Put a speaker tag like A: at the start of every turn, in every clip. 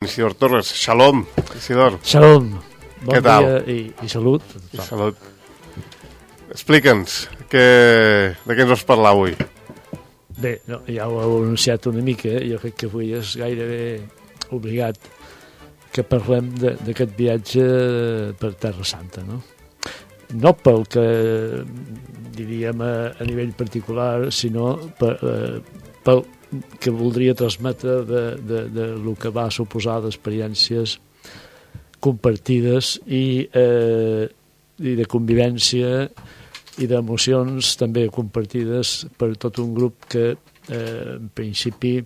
A: Isidor Torres, xalom, Isidor.
B: Xalom, bon
A: Què tal?
B: dia i salut.
A: I salut. Explica'ns, de què ens vas parlar avui?
B: Bé, no, ja ho heu anunciat una mica, jo crec que avui és gairebé obligat que parlem d'aquest viatge per Terra Santa, no? No pel que diríem a nivell particular, sinó pel que voldria transmetre de lo que va suposar d'experiències compartides i de convivència i d'emocions també compartides per tot un grup que en principi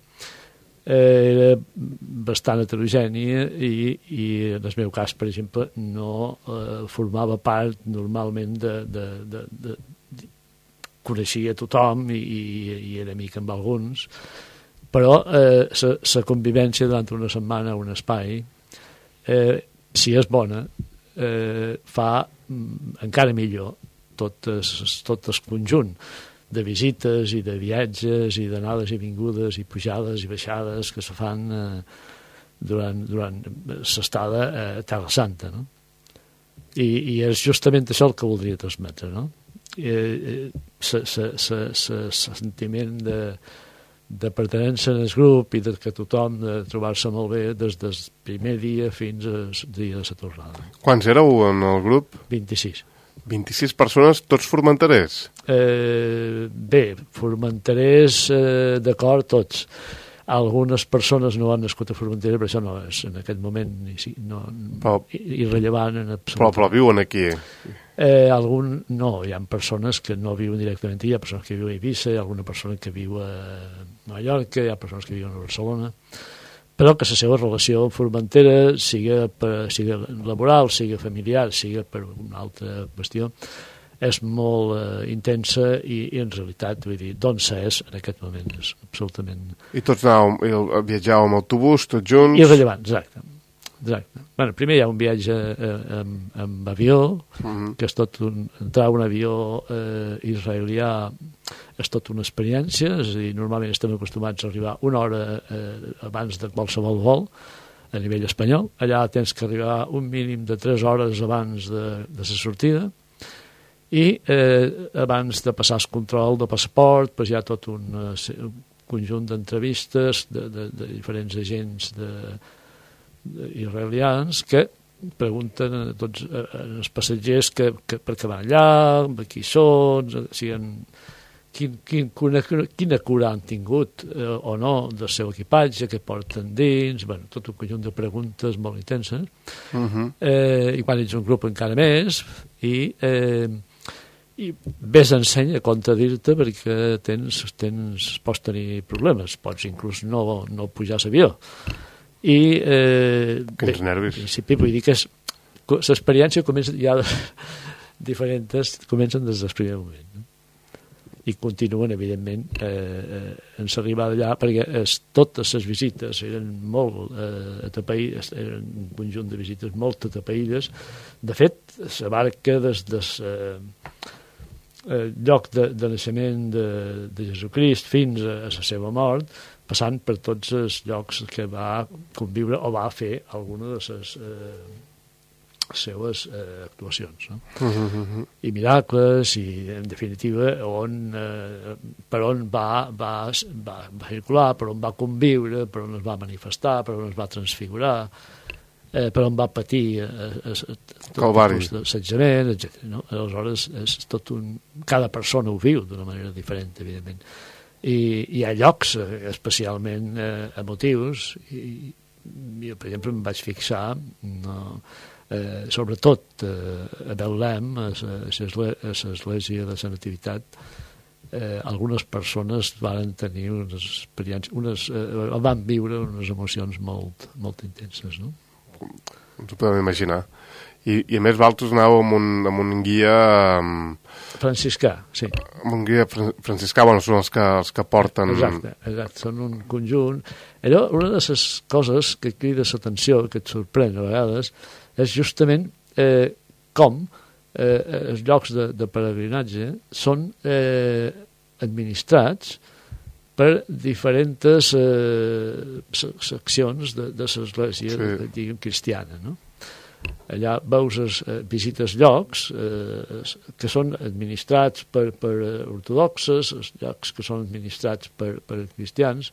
B: era bastant heterogeni i en el meu cas, per exemple, no formava part normalment coneixia tothom i era amic amb alguns, però la convivència durant una setmana a un espai, si és bona, fa encara millor tot el conjunt de visites i de viatges i d'anades i vingudes i pujades i baixades que se fan durant l'estada a Terra Santa, no? I és justament això el que voldria transmetre, no? Sentiment de pertinença en el grup i de que tothom de trobar-se molt bé des del primer dia fins al dia de la tornada.
A: Quants éreu en el grup?
B: 26.
A: 26 persones, tots formenterers?
B: Bé, formenterers, d'acord, tots. Algunes persones no han nascut a Formentera, però això no és en aquest moment irrellevant en absolut.
A: Però viuen aquí.
B: No, hi ha persones que no viuen directament aquí, hi ha persones que viuen a Eivissa, hi ha alguna persona que viu a Mallorca, hi ha persones que viuen a Barcelona, però que la seva relació amb Formentera, siga laboral, siga familiar, siga per una altra qüestió, és molt intensa i en realitat, vull dir, d'on s'és en aquest moment és absolutament...
A: I tots viatjàveu amb autobús, tots junts?
B: Irrellevant, exacte. Bueno, primer hi ha un viatge amb avió, que és tot entrar a un avió israelià és tot una experiència, és a dir, normalment estem acostumats a arribar una hora abans de qualsevol vol a nivell espanyol. Allà tens que arribar un mínim de 3 hores abans de la sortida, i abans de passar el control de passaport pues hi ha tot un conjunt d'entrevistes de diferents agents israelians que pregunten a tots els passatgers per què van allà, qui són, quina cura han tingut o no del seu equipatge, què porten dins, bueno, tot un conjunt de preguntes molt intenses. I quan ets un grup encara més i ves ensenya a contradir-te perquè pots tenir problemes, pots inclús no pujar a l'avió.
A: Quins nervis.
B: En principi vull dir que l'experiència comença ja diferents, comencen des del primer moment, no? I continuen, evidentment, en l'arribada allà, perquè totes les visites eren molt atapeïdes, eren un conjunt de visites molt atapeïdes. De fet, la barca des lloc de naixement de Jesucrist fins a la seva mort, passant per tots els llocs que va conviure o va fer alguna de les seues actuacions, no? I miracles, i en definitiva per on va circular, per on va conviure, per on es va manifestar, per on es va transfigurar, per on va patir assetjament, etc. No? Aleshores, és tot cada persona ho viu d'una manera diferent, evidentment. I hi ha llocs especialment emotius, i jo, per exemple, em vaig fixar sobretot a Betlem, a l'església de la Nativitat, algunes persones van tenir unes experiències, van viure unes emocions molt, molt intenses, no?
A: Ens ho podem imaginar. I a més vosaltres anàveu amb un guia...
B: franciscà, sí.
A: Amb un guia franciscà, bueno, són els que porten...
B: Exacte, són un conjunt. Allò, una de les coses que crida l'atenció, que et sorprèn a vegades, és justament com els llocs de peregrinatge són administrats per diferents seccions de l'església, diguem, cristiana, no? Allà veus, visites llocs que són administrats per ortodoxes, llocs que són administrats per cristians,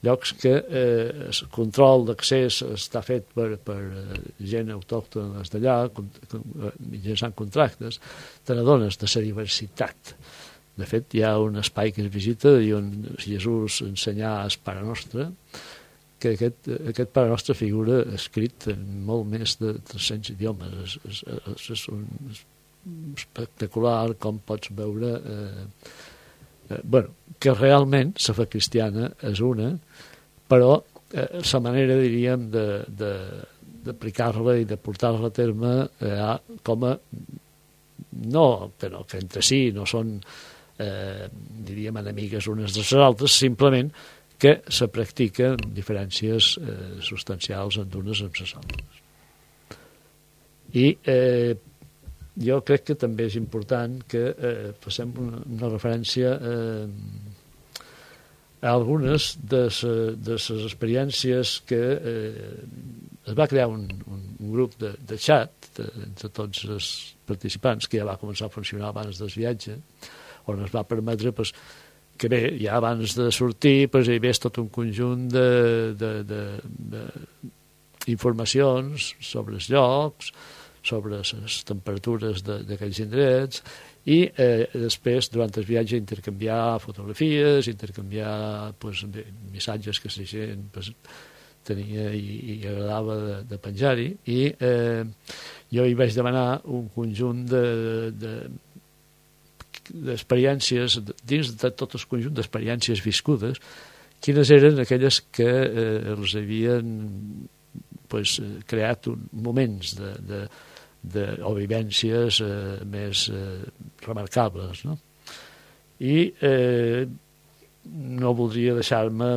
B: llocs que el control d'accés està fet per gent autòctona d'allà, mitjançant contractes. Te n'adones de la diversitat. De fet, hi ha un espai que es visita i on Jesús ensenyà el Pare Nostre, que aquest Pare Nostre figura escrit en molt més de 300 idiomes. És espectacular com pots veure que realment la fe cristiana és una, però la manera, diríem, d'aplicar-la i de portar-la a terme com a que entre si no són diríem enemigues unes de les altres, simplement que se practiquen diferències substancials en unes amb les altres. I jo crec que també és important que passem una referència a algunes de les experiències que es va crear un grup de xat entre tots els participants, que ja va començar a funcionar abans del viatge, on es va permetre que bé, ja abans de sortir hi hagués tot un conjunt d'informacions sobre els llocs, sobre les temperatures d'aquells indrets, i després, durant el viatge, intercanviar fotografies, intercanviar missatges que la gent tenia i agradava de penjar-hi, i jo hi vaig demanar un conjunt d'experiències, dins de tot el conjunt d'experiències viscudes, quines eren aquelles que els havien creat moments o vivències més remarcables, no? I no voldria deixar-me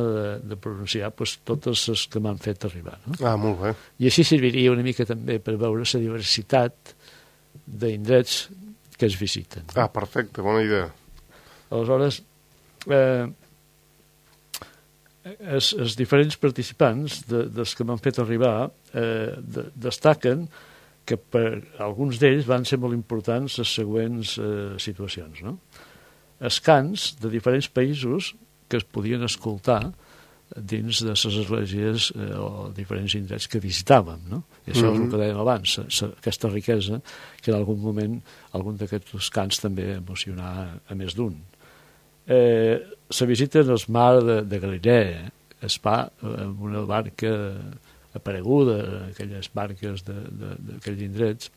B: de pronunciar totes les que m'han fet arribar, no?
A: Molt bé. I
B: així serviria una mica també per veure la diversitat d'indrets que es visiten.
A: Perfecte, bona idea.
B: Aleshores, els diferents participants dels que m'han fet arribar destaquen que per alguns d'ells van ser molt importants les següents situacions, no? Els cants de diferents països que es podien escoltar dins de les esglésies o diferents indrets que visitàvem, no? I això és el que dèiem abans, aquesta riquesa que en algun moment algun d'aquests cants també emocionà a més d'un. La visita en el mar de Galilea es fa amb una barca apareguda, aquelles barques d'aquells indrets,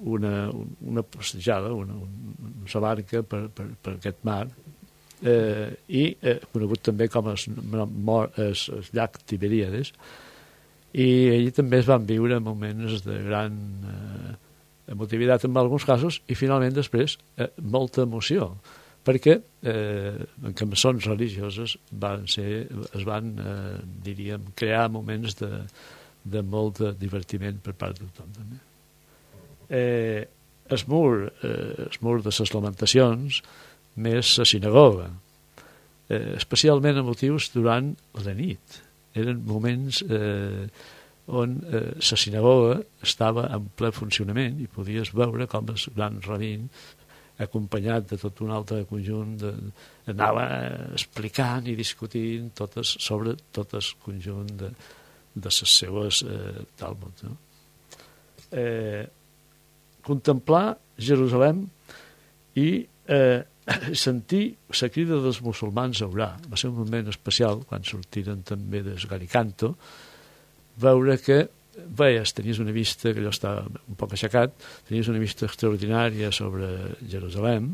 B: una passejada, una barca per aquest mar, i conegut també com el llac Tiberíades, i allí també es van viure moments de gran emotivitat en alguns casos, i finalment després molta emoció, perquè en cançons religioses es van diríem, crear moments de molt de divertiment per part de tothom també. El mur de les lamentacions, més la sinagoga, especialment emotius durant la nit. Eren moments on la sinagoga estava en ple funcionament i podies veure com el gran rabín, acompanyat de tot un altre conjunt, anava explicant i discutint sobre tot el conjunt de les seues Talmud. No? Contemplar Jerusalem i sentir la crida dels musulmans a orar. Va ser un moment especial, quan sortiren també des Galicanto, veure que tenies una vista, que jo estava un poc aixecat, tenies una vista extraordinària sobre Jerusalem,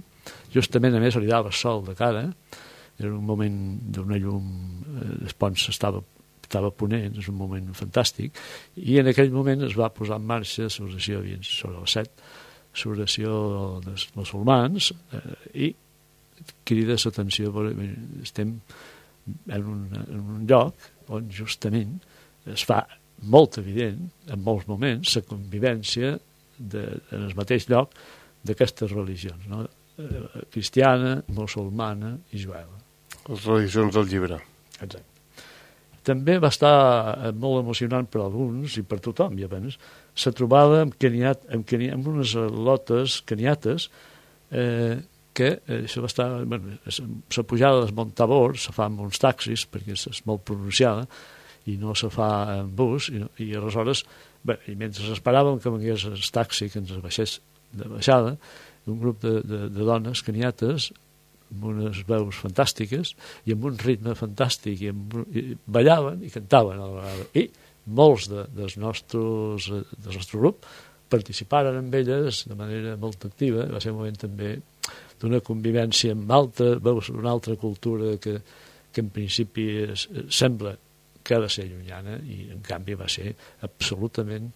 B: justament a més li dava sol de cara, era un moment d'una llum, el pont estava ponent, és un moment fantàstic, i en aquell moment es va posar en marxa l'oració sobre les 7, l'oració dels musulmans, i crida l'atenció, estem en un lloc on justament es fa molt evident, en molts moments, la convivència en el mateix lloc d'aquestes religions, no? Cristiana, musulmana i jueva.
A: Les religions del llibre.
B: Exacte. També va estar molt emocionant per alguns i per tothom, i abans, la trobada amb unes lotes caniates que això va estar... la pujada del Mont Tabor se fa amb uns taxis, perquè és molt pronunciada, i no se fa en bus, i aleshores, i mentre esperàvem que vengués el taxi que ens baixés de baixada, un grup de dones caniates amb unes veus fantàstiques i amb un ritme fantàstic i ballaven i cantaven a la vegada, i molts del nostre grup participaren amb elles de manera molt activa. Va ser un moment també d'una convivència amb veus d'una altra cultura que en principi sembla que ha de ser llunyana, i en canvi va ser absolutament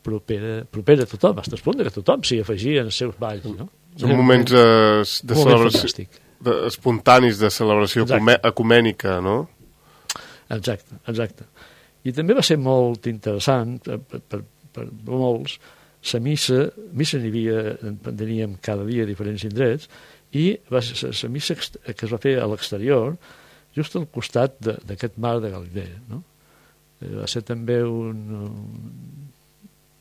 B: propera a tothom, fins al punt que tothom s'hi afegia en els seus balls, no?
A: Són moments de celebració, espontanis, de celebració ecumènica, no?
B: Exacte. I també va ser molt interessant per molts. La missa n'hi havia, teníem cada dia diferents indrets, i la missa que es va fer a l'exterior, just al costat d'aquest mar de Galilea, no? Va ser també un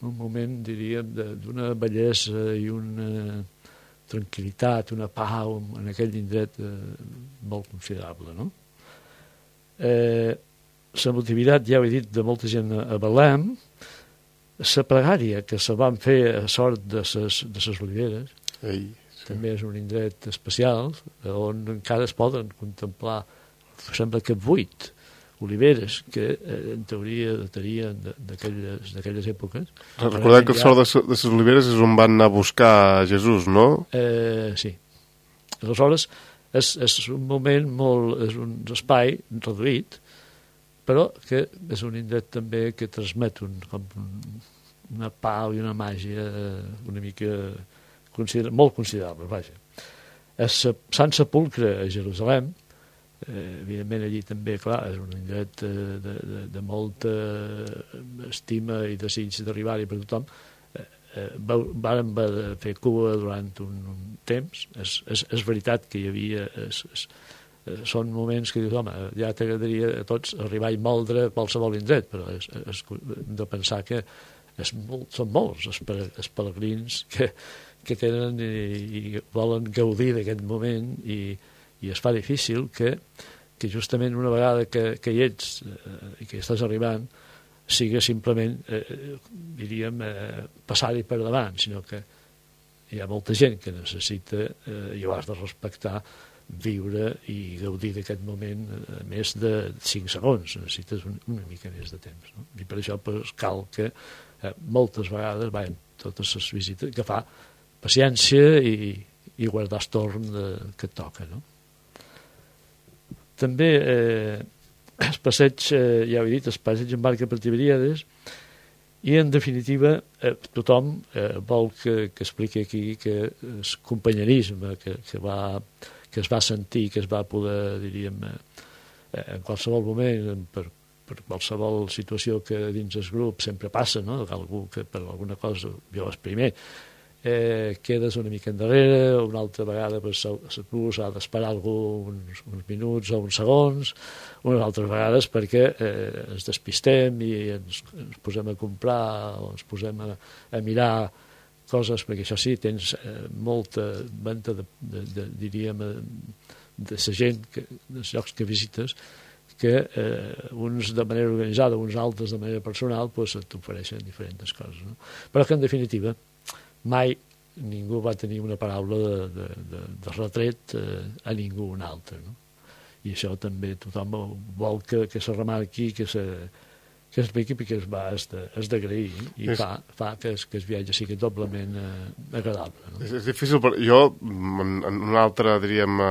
B: moment, diríem, d'una bellesa i una tranquil·litat, una pau en aquell indret molt considerable, no? La motivitat, ja ho he dit, de molta gent a Belém, la pregària que se van fer a sort de les oliveres, també és un indret especial, on encara es poden contemplar, sembla que 8 oliveres que en teoria datarien d'aquelles èpoques.
A: Recordem que el sort de les oliveres és on van anar a buscar Jesús, no?
B: Sí. Aleshores, és un moment molt... és un espai reduït, però que és un indret també que transmet una pau i una màgia una mica molt considerable, vaja. A Sant Sepulcre a Jerusalem, evidentment allí també, clar, és un indret de molta estima i desig d'arribar-hi per tothom. Vàrem fer cua durant un temps. És veritat que hi havia... són moments que dius, home, ja t'agradaria a tots arribar i moldre qualsevol indret, però hem de pensar que són molts els pelegrins que tenen i volen gaudir d'aquest moment, i es fa difícil que justament una vegada que hi ets i que estàs arribant sigui simplement, diríem, passar-hi per davant, sinó que hi ha molta gent que necessita, i ho has de respectar, viure i gaudir d'aquest moment a més de 5 segons. Necessites una mica més de temps, no? I per això cal que moltes vegades totes les visites que fa paciència i guardar el torn que et toca, no? També el passeig, ja ho he dit, el passeig en barca per Tiberíades, i en definitiva tothom vol que expliqui aquí que el companyerisme que es va sentir, que es va poder, diríem, en qualsevol moment, per qualsevol situació que dins el grup sempre passa, no? Algú que per alguna cosa, jo és primer, quedes una mica endarrere, una altra vegada tu s'ha d'esperar algú uns minuts o uns segons, unes altres vegades perquè ens despistem i ens posem a comprar o ens posem a mirar coses, perquè això sí, tens molta venta diríem, de la gent, dels llocs que visites, que uns de manera organitzada, uns altres de manera personal, t'ofereixen diferents coses, no? Però que en definitiva mai ningú va tenir una paraula de retret a ningú un altre, no? I això també tothom vol que se remarqui, que expliqui, perquè és d'agrair, i fa que el viatge sigui doblement agradable, no?
A: És difícil, però jo en una altra, diríem,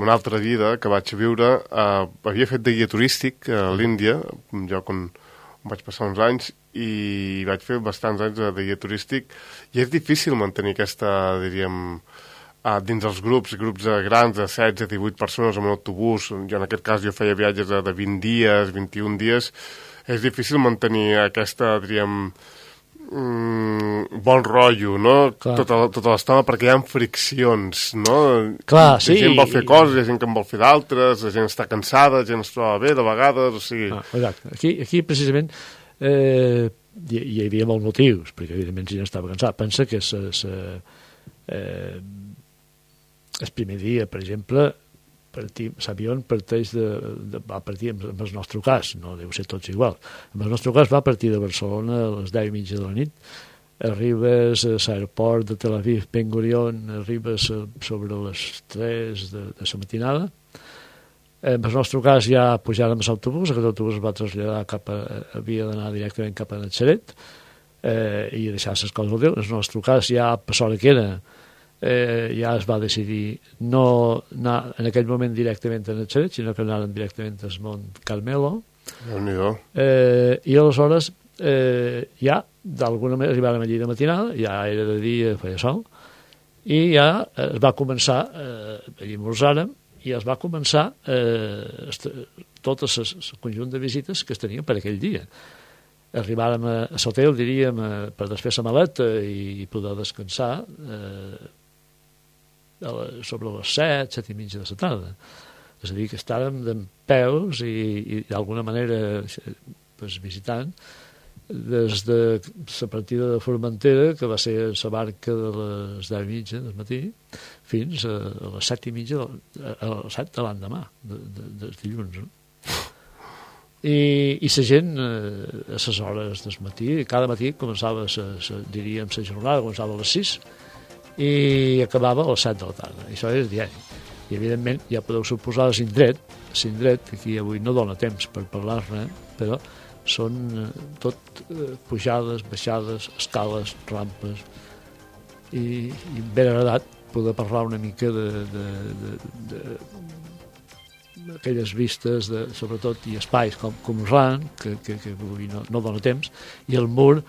A: una altra vida que vaig viure, havia fet de guia turístic a l'Índia, jo quan vaig passar uns anys, i vaig fer bastants anys de guia turístic, i és difícil mantenir aquesta, diríem, dins els grups grans de 16, 18 persones en un autobús. Jo en aquest cas feia viatges de 20 dies, 21 dies. És difícil mantenir aquesta, diríem, bon rotllo, no?
B: Clar.
A: Tota l'estona, perquè hi ha friccions, no?
B: Clar, sí.
A: La gent vol fer coses, hi ha gent que en vol fer d'altres, la gent està cansada, la gent es troba bé de vegades, o sigui...
B: Exacte. Aquí precisament, hi havia molts motius, perquè evidentment si no estava cansat. Pensa que el primer dia, per exemple, l'avió va partir, en el nostre cas, no deu ser tots igual, en el nostre cas va partir de Barcelona a les 10:30 de la nit, arribes a l'aeroport de Tel Aviv Ben Gurion, arribes sobre les 3 de la matinada. En el nostre cas ja pujàrem a l'autobús, aquest autobús es va traslladar havia d'anar directament cap a Natzaret i deixar les coses al Déu. En el nostre cas ja per l'hora que era ja es va decidir no anar en aquell moment directament a Natzaret, sinó que anàrem directament al Mont Carmelo. I aleshores ja d'alguna manera arribàrem allí de matinada, ja era de dia, feia sol, i ja es va començar, allí esmorzàrem, i es va començar tot el conjunt de visites que es tenien per aquell dia. Arribàrem a l'hotel, diríem, per desfer la maleta i poder descansar sobre les 7:30 de la tarda. És a dir, que estàvem d'en peus i d'alguna manera visitant des de la partida de Formentera, que va ser la barca de les 10:30 del matí, fins a les 7:30, a les 7 de l'endemà, dels dilluns. No? I la gent, a les hores del matí, cada matí començava, diríem, la jornada, començava a les 6 i acabava a les 7 de la tarda. I això és diari. I, evidentment, ja podeu suposar l'indret, aquí avui no dona temps per parlar-ne, però són tot pujades, baixades, escales, rampes, i ben agradat poder parlar una mica d'aquelles vistes, sobretot, i espais com Ran, que avui no dona temps, i el mur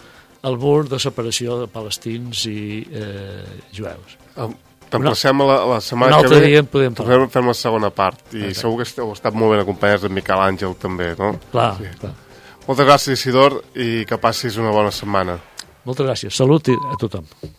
B: de separació de palestins i jueus.
A: T'emplacem a la setmana que ve, fem la segona part, i segur que heu estat molt ben acompanyats de Miquel Àngel també, no?
B: Clar.
A: Moltes gràcies, Isidor, i que passis una bona setmana.
B: Moltes gràcies. Salut a tothom.